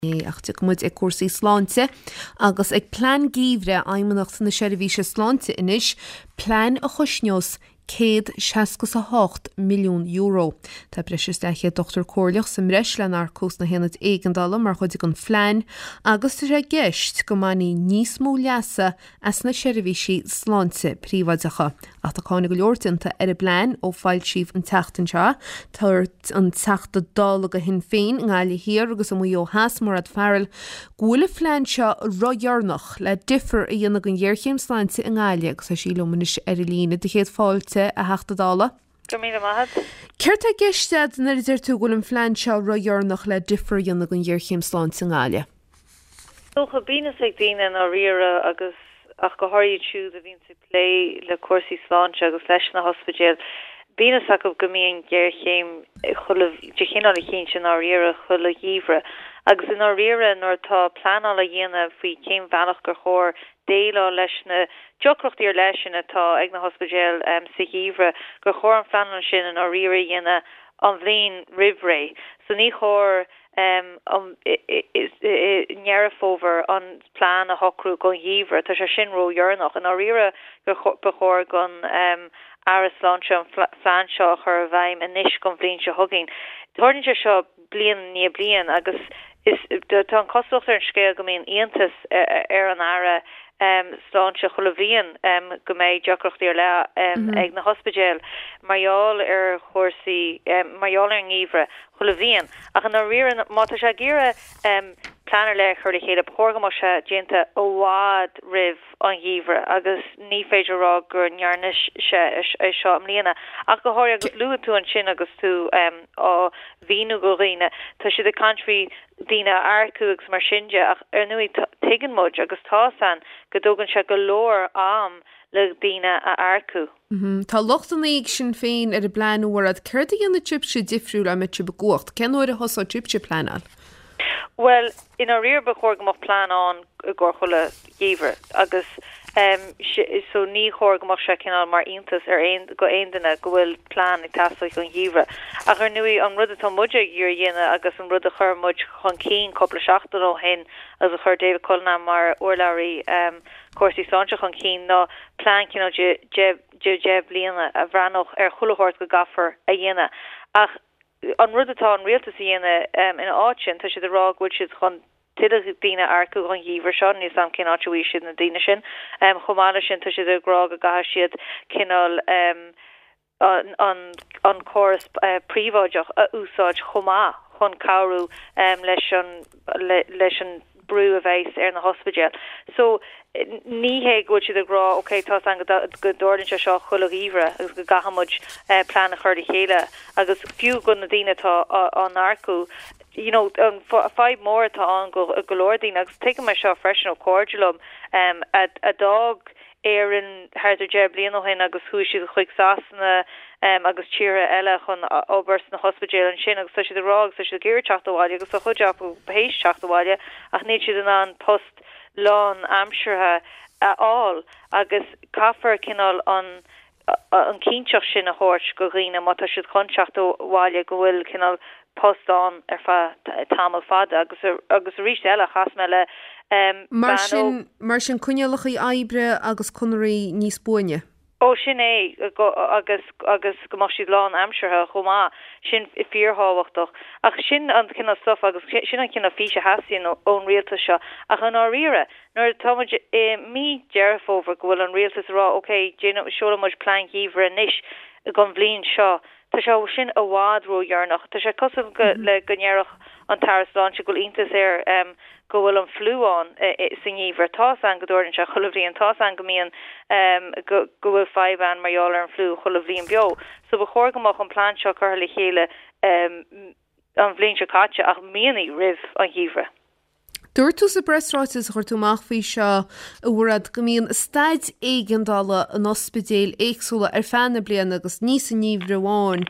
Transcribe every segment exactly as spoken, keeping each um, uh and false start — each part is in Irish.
Ach tiocfaidh muid ag cúrsaí sláinte agus ag plean geimhridh Fheidhmeannacht na Seirbhíse Sláinte anois, plean a chosnós céad seasca is a hocht milliún euro. Tá breis is leathchéad dochtúir comhairleach sa mbreis le n-earcú sna haonaid éigeandála mar chuid den phlean agus tá sé i gceist go mbainfí níos mó leasa as na seirbhísí sláinte príobháideacha. Ach tá cáineadh go leor déanta ar an bplean ó foilsíodh an tseachtain seo. Dúirt an Teachta Dála do Shinn Féin i nGaillimh Thiar agus i Maigh Eo Theas, Mairéad Farrell, go bhfuil an phlean seo ródheireanach le difear a dhéanamh don ghéarchéim sláinte i nGaillimh agus tá sí liom anois ar an líne. Do chéad fáilte, a Theachta Dála. Go raibh míle maith agat. Céard tá i gceist agat nuair a deir tú go bhfuil an phlean seo ródheireanach le difear a dhéanamh don ghéarchéim sláinte i nGaillimh? Dócha, bíonn fhios ag daoine i ndáiríre agus ach go háirid siúd a bhíonn ag plé le cúrsaí sláinte agus leis na hospidéil, bíonn fhios acu go mbíonn géarchéim chuile de chineál eicínt i ndáiríre chuile gheimhreadh. Agus i ndáiríre nuair atá pleanáil á dhéanamh faoi cén bhealach gur chóir déileáil leis na deacrachtaí ar leith sin atá ag na hospidéil sa gheimhreadh, gur chóir an phleanáil sin i ndáiríre a dhéanamh an bhliain roimh ré. So ní chóir i nDeireadh Fómhair an plean a shocrú don gheimhreadh, tá sé sin ródheireanach. I ndáiríre ba chóir don Aire Sláinte an phlean seo a chur i bhfeidhm anois don bhliain seo chugainn. Tarlaíonn sé seo bliain i ndiaidh bliain agus is tá an chosúlacht ar an scéal go mbíonn iontas ar an Aire Sláinte chuile bhliain go mbeidh deacrachtaí ar leith ag na hospidéil mar gheall ar chúrsaí, mar gheall ar an ngeimhreadh chuile bhliain. Ach i ndáiríre, má tá sé ag iarraidh plean ar leith a chur le chéile, ba chóir go mbeadh sé déanta i bhfad roimh an gheimhreadh agus ní féidir a rá go ndearna sé é seo i mbliana. Ach go háirithe agus luaigh tú ansin agus tú á mhíniú do dhaoine, tá siad ag caint faoi daoine a earcú agus mar sin de ach ar ndóigh tuigeann muid agus tá a fhios againn go dtógann sé go leor am le daoine a earcú. Tá lochtanna ag Sinn Féin ar an bplean, a Mhairéad. Céard a dhéanfaidh sibhse difriúil dá mbeadh sibh i gcumhacht? Cén uair a thosóidh sibhse ag pleanáil? Bhuel, i ndáiríre ba chóir go mbeadh plean ann i gcomhair chuile gheimhreadh agus so ní chóir go mbeadh sé cineál mar iontas ar aon go aon duine go bhfuil plean ag teastáil don gheimhreadh. Ach ar ndóigh an rud atá muid ag iarraidh a dhéanamh agus an rud a chuir muid chun cinn cúpla seachtain ó shin agus a chuir David Cullinane mar urlabhraí cúrsaí sláinte chun cinn ná plean cineál de de de deich bliana a bhreathnódh ar chuile shórt go gcaithfear a dhéanamh. Ach an rud atá an rialtas a dhéanamh ina áit sin, tá siad ag rá go bhfuil siad chun tuilleadh daoine a earcú don gheimhreadh seo, níl a fhios agam cén áit a bhfaighidh siad na daoine sin. Chomh maith leis sin, tá siad ag rá go gcaithfidh siad cineál an an córas príobháideach a úsáid chomh maith chun cabhrú leis an leis an brú a bheas ar na hospidéil. So ní hé go bhfuil siad ag rá ok tá a fhios againn go dtarlaíonn sé seo chuile gheimhreadh agus go gcaithfidh muid plean a chur le chéile agus fiú go na daoine atá á n-earcú you know an fadhb mór atá ann go go leor daoine agus tuigim é seo freisin ó chairde liom a a d'fhág Éirinn thart ar deich bliain ó shin agus chuaigh siad chuig Sasana agus tíortha eile chun obair sna hospidéil ansin agus tá siad ag rá agus tá siad ag iarraidh teacht abhaile agus tá chuid acu théis teacht abhaile ach níl siad in ann post lán-aimseartha a fháil agus caithfear cineál an an cinnteacht sin a thabhairt go dhaoine má tá siad chun teacht abhaile go bhfuil cineál post ann ar feadh tamall fada agus agus arís eile chas mé le Mar sin mar sin coinníollacha oibre agus conairí níos buaine. Ó sin é agus agus go mbeadh siad lán-aimseartha chomh maith sin fíorthábhachtach ach sin an cineál stuff agus sin an cineál fís a theastaíonn ón rialtas seo ach i ndáiríre nuair atá muid i mí Deireadh Fómhair go bhfuil an rialtas ag rá ok seolfaidh muid plean geimhridh anois don bhliain seo tá sé sin i bhfad ródheireanach tá sé cosúil go le go ndéarfadh an tAire Sláinte go bhfuil iontas air go bhfuil an fliú ann sa ngeimhreadh tá a fhios againn go dtarlaíonn sé chuile bhliain tá a fhios againn go mbíonn go go bhfuil fadhb ann mar gheall ar an fliú chuile bhliain beo so ba chóir go mbeadh an plean seo curtha le chéile an bhliain seo caite ach míonna roimh an gheimhreadh. Dúirt tú sa bpreasráiteas a chuir tú amach faoi seo, a Mhairéad, go mbíonn staid éigeandála in ospidéil éagsúla ar feadh na bliana agus ní sa ngeimhreadh amháin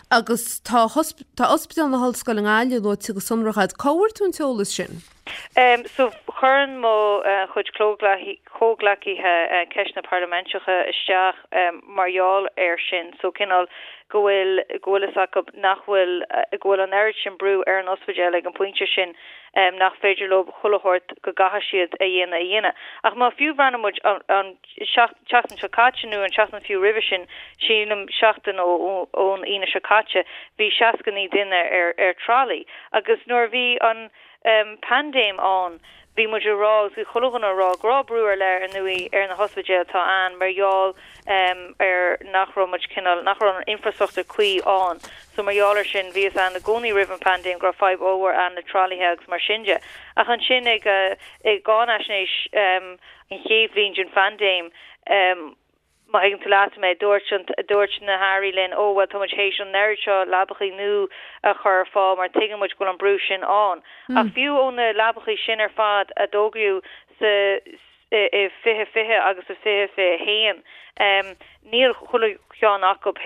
agus tá tá Ospidéal na hOllscoile i nGaillimh luaite go sonrach agat. Cá bhfuair tú an t-eolas sin? Um, so Cuireann mo chuid comhghleacaithe ceisteanna parlaiminteacha isteach mar gheall air sin, so cineál go bhfuil go bhfuil fhios acu nach bhfuil go bhfuil an oiread sin brú ar an ospidéal ag an bpointe sin nach féidir leo chuile shórt go gcaithfidh siad a dhéanamh a dhéanamh. Ach má fiú bhreathnaíonn muid an tseachtain seo caite nó an tseachtain fiú roimhe sin, sílim seachtain ó ón Aoine seo caite, bhí seasca naoi duine ar ar tralaí agus nuair a bhí an paindéim ann, bhí muid ag rá agus bhí chuile dhuine ag rá go raibh brú ar leith ar ndóigh ar na hospidéil atá ann mar gheall ar nach raibh muid cineál, nach raibh an infrastruchtúr cuí ann. So mar gheall ar sin bhí fhios ann i gcónaí roimh an paindéim go raibh fadhb ollmhór ann le tralaithe agus mar sin de. Ach ansin ag i gcáinaisnéis an chéad bhliain den phaindéim, Má thuigeann tú leat mé, dúirt an, dúirt na hairí linn, ó bhuel tá muid théis an oiread seo leabachaí nua a chur ar fáil mar tuigeann muid go bhfuil an brú sin ann. Ach fiú ó na leabachaí sin ar fad a d'fhógraíodh sa, i fiche fiche agus i fiche fiche a haon, níl chuile cheann acu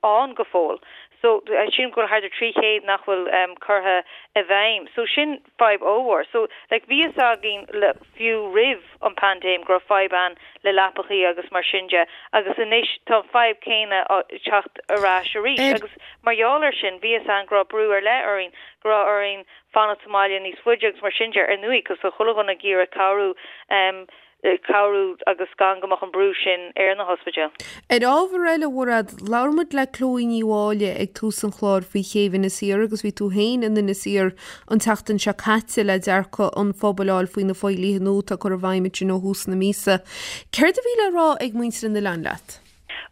ann go fóill. So, sílim go bhfuil thart ar trí chéad nach bhfuil curtha i bhfeidhm. So sin fadhb ollmhór. So, like, bhí fhios againn le, fiú roimh an paindéim go raibh fadhb ann le leapachaí agus mar sin de agus anois tá an fadhb céanna ag teacht ar ais arís agus mar gheall ar sin bhí fhios againn go raibh brú ar leith orainn, go raibh orainn fanacht sa mbaile níos faide agus mar sin de ar ndóigh cos tá chuile dhuine ag iarraidh cabhrú cabhrú agus gan go mbeadh an brú sin ar na hospidéil. Ar ábhar eile, a Mhairéad, labhair muid le Chloe Ní Mháille ag tús an chláir faoi chéibh Inis Oírr agus bhí tú féin in Inis Oírr an tseachtain seo caite le dearcadh an phobail a fháil faoi na fodhlíthe nua atá curtha i bhfeidhm ansin ó thús na míosa. Céard a bhí le rá ag muintir an oileáin leat?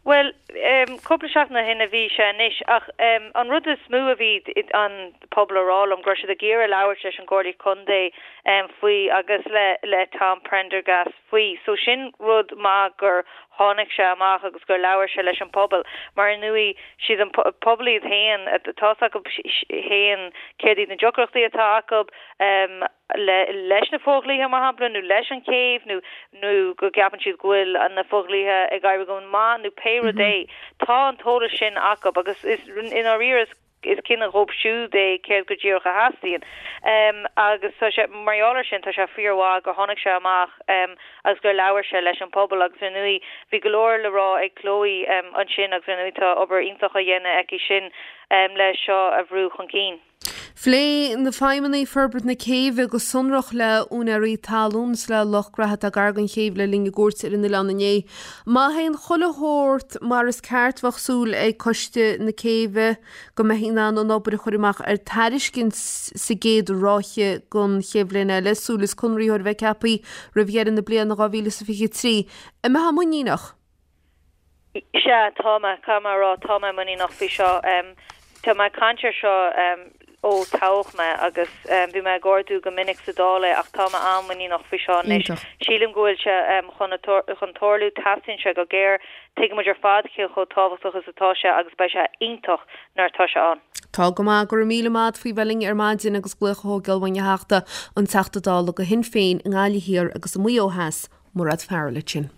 Bhuel, cúpla seachtain ó shin a bhí sé anois ach an rud is mó a bhí an pobal a rá liom go raibh siad ag iarraidh labhairt leis an gComhairle Contae faoi agus le le Tom Prendergast faoi. So sin rud maith gur tháinig sé amach agus gur labhair sé leis an pobal mar ar ndóigh siad an pobal iad féin tá's acu féin céard iad na deacrachtaí atá acu le leis na fodhlíthe mar shampla nó leis an chéibh nó nó go gceapann siad go bhfuil na fodhlíthe ag éirí go maith nó pé rud é. Tá an t-eolas sin acu agus is i ndáiríre is is cinneadh dhóibh siúd é céard go díreach a theastaíonn. Agus tá sé, mar gheall air sin, tá sé fíormhaith gur tháinig sé amach agus gur labhair sé leis an pobal agus ar ndóigh bhí go leor le rá ag Chloe ansin agus ar ndóigh tá obair iontach á dhéanamh aici sin le seo a bhrú chun cinn. Phléigh na feidhmeannaigh forbairt na céibhe go sonrach le úinéirí talún is le lucht graithe atá gar don chéibh le linn a gcuairte ar an oileán inné. Má théann chuile shórt mar is ceart bheadh súil ag Coiste na Céibhe go mbeifí in ann an obair a chur amach ar tairiscint sa gcéad ráithe den chéad bhliain eile, súil is conraitheoir a bheith ceaptha roimh dheireadh na bliana dhá mhíle is a fiche trí. An mbeifeá muiníneach? Sea, tá mé, caithfidh mé a rá, tá mé muiníneach faoi seo. Tá mé ag caint air seo ó toghadh mé agus bhí mé ag ardú go minic sa Dáil é ach tá mé an-mhuiníneach faoi seo anois. Sílim go bhfuil sé chun chun tarlú, teastaíonn sé go géar, tuigeann muid ar fad cé chomh tábhachtach is atá sé agus beidh sé iontach nuair atá sé ann. Tá go maith, go raibh míle maith agat faoi bheith linn ar maidin agus glaoch a thógáil uainn a Theachta, an Teachta Dála do Shinn Féin i nGaillimh Thiar agus i Maigh Eo Theas, Mairéad Farrell ansin.